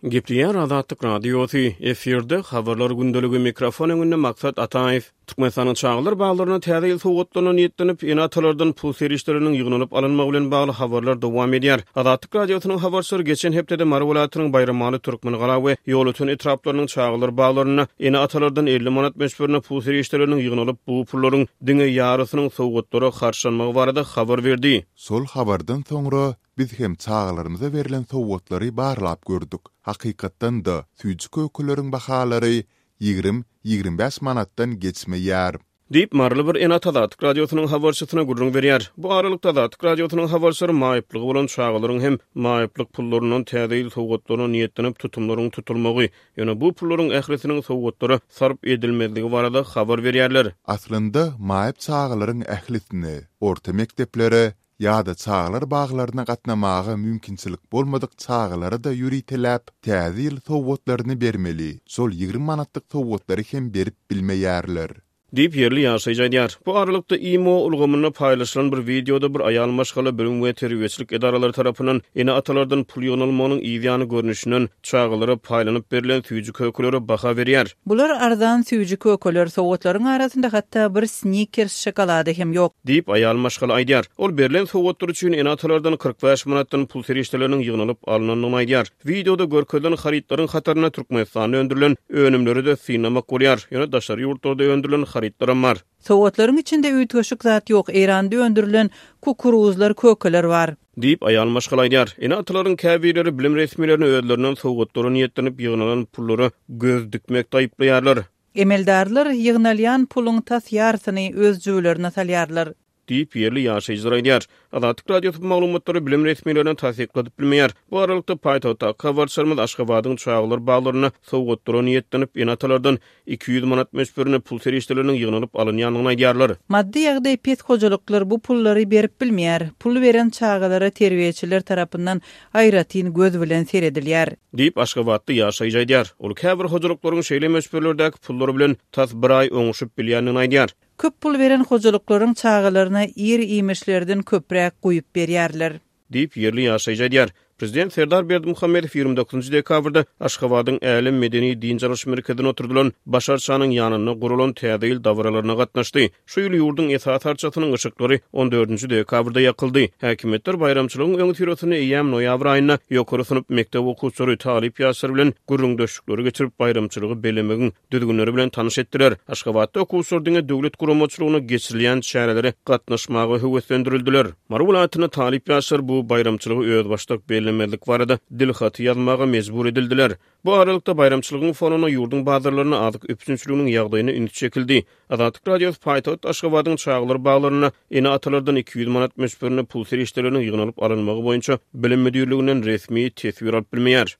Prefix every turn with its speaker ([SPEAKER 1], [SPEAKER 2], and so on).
[SPEAKER 1] Gepleýär Azatlyk Radiosy, efirde Habarlar gündeligi, mikrofon öňünde Maksat Ataýew. Türkmenistanyň çagalar baglaryna täze ýyl sowgatlaryna niýetlenip, ene-atalardan pul serişdeleriniň ýygnalyp alynmagy bilen bagly habarlar dowam edýär. Azatlyk Radiosynyň habarçylary geçen hepdede Mary welaýatynyň Baýramaly, Türkmengala we Ýolöten etraplarynyň çagalar baglarynda ene-atalardan 50 manat möçberinde pul serişdeleriniň ýygnalyp, bu pullaryň diňe ýarysynyň sowgatlara harçlanmagy barada habar berdi.
[SPEAKER 2] Şol habardan soňra Biz hem çagalarymyza berlen sowgatlary barlap gördük. Hakykatdan-da, süýji-kökeleriň bahalary 20, 25 manatdan geçmeýär.
[SPEAKER 1] Diýip, maryly bir ene-ata Azatlyk Radiosynyň habarçysyna gürrüň berýär. Bu aralykda, Azatlyk Radiosynyň habarçylary maýyplygy bolan çagalaryň hem maýyplyk pullaryndan Täze ýyl sowgatlaryna niýetlenip tutumlaryň tutulmagy, ýöne bu pullaryň ählisiniň sowgatlara sarp edilmezligi barada habar berýärler.
[SPEAKER 2] Aslynda, maýyp çagalaryň ählisine, orta mekdeplere ýa-da çagalar baglaryna gatnamaga mümkinçilik bolmadyk çagalara-da ýöriteläp Täze ýyl sowgatlaryny bermeli, şol 20 manatlyk sowgatlary hem berip bilmeýärler.
[SPEAKER 1] Diýip, ýerli ýaşaýjy aýdýar. Bu aralykda, imo ulgamynda paýlaşylan bir wideoda bir aýal maşgala bilim we terbiýeçilik edaralary tarapyndan ene-atalardan pul ýygnalmagynyň yz ýany görnüşinden çagalara paýlanyp berlen süýji-kökelere baha berýär.
[SPEAKER 3] Bular arzan süýji-kökeler, sowgatlaryň arasynda hatda bir Snickers şokolady hem ýok.
[SPEAKER 1] Diýip, aýal maşgala aýdýar. Ol berlen sowgatlar üçin ene-atalardan 45 manatdan pul serişdeleriniň ýygnalyp alnandygyny aýdýar. Wideoda görkezilen harytlaryň hatarynda Türkmenistanda öndürilen önümleri-de synlamak bolýar. Ýöne daşary ýurtlarda öndürilen harytlaram bar.
[SPEAKER 3] Sowgatlaryň içinde üýtgeşik zat ýok, Eýranda öndürilen kukuruzlar, kökeler bar.
[SPEAKER 1] Diýip, aýal maşgala aýdýar. Ene-atalaryň käbirleri bilim resmilerini özlerinden sowgatlara niýetlenip ýygnalan pullara göz dikmekde aýyplaýarlar.
[SPEAKER 3] Emeldarlar ýygnalýan puluň tas ýarysyny öz jübülerine salýarlar.
[SPEAKER 1] Diýip, ýerli ýaşaýjylar aýdýar. Azatlyk Radiosy bu maglumatlary bilim resmilerine tassykladyp bilmeýär. Bu aralykda, paýtagtdaky habarçylarymyz Aşgabadyň çagalar baglarynda sowgatlara niýetlenip, ene-atalardan 200 manat möçberinde pul serişdeleriniň ýygnalyp alynýandygyny aýdýarlar.
[SPEAKER 3] Maddy ýagdaýy pes hojalyklar bu pullary berip bilmeýär. Pul beren çagalara terbiýeçiler tarapyndan aýratyn göz bilen seredilýär.
[SPEAKER 1] Diýip, aşgabatly ýaşaýjy aýdýar. Ol käbir hojalyklaryň şeýle möçberlerdäki pullar bilen tas bir aý oňuşyp bilýändigini aýdýar.
[SPEAKER 3] Köp pul beren hojalyklaryň çagalaryna ir-iýmişlerden köpräk guýup berýärler.
[SPEAKER 1] Diýip, ýerli ýaşaýjy aýdýar. Prezident Serdar Berdimuhamedow 29 dekabrda Aşgabadyň Älem medeni-dynç alyş merkezinde oturdylan Baş arçanyň ýanynda guralan Täze ýyl dabaralaryna gatnaşdy. Şu ýyl ýurduň esasy arçasynyň yşyklary on dördünji dekabrda ýakyldy. Häkimiýetler baýramçylygyň öňüsyrasynda eýýäm noýabr aýynda ýokary synp mekdep okuwçylary, talyp ýaşlar bilen gürrüňdeşlikleri geçirip, baýramçylygy bellemegiň düzgünleri bilen tanyş etdiler. Aşgabatda okuwçylar diňe döwlet guramaçylygynda geçirilýän çärelere gatnaşmaga höweslendirildiler. Mary welaýatynda talyp ýaşlar bu baýramçylygy özbaşdak bellemezlik barada dilhaty ýazmaga mejbur edildiler. Bu aralykda, baýramçylygyň fonunda ýurduň bazarlarynda azyk üpjünçiliginiň ýagdaýyna üns çekildi. Azatlyk Radiosy paýtagt Aşgabadyň çagalar baglarynda ene-atalardan 200 manat möçberinde pul serişdeleriniň ýygnalyp alynmagy boýunça Bilim müdirliginden resmi teswir alyp bilmeýär.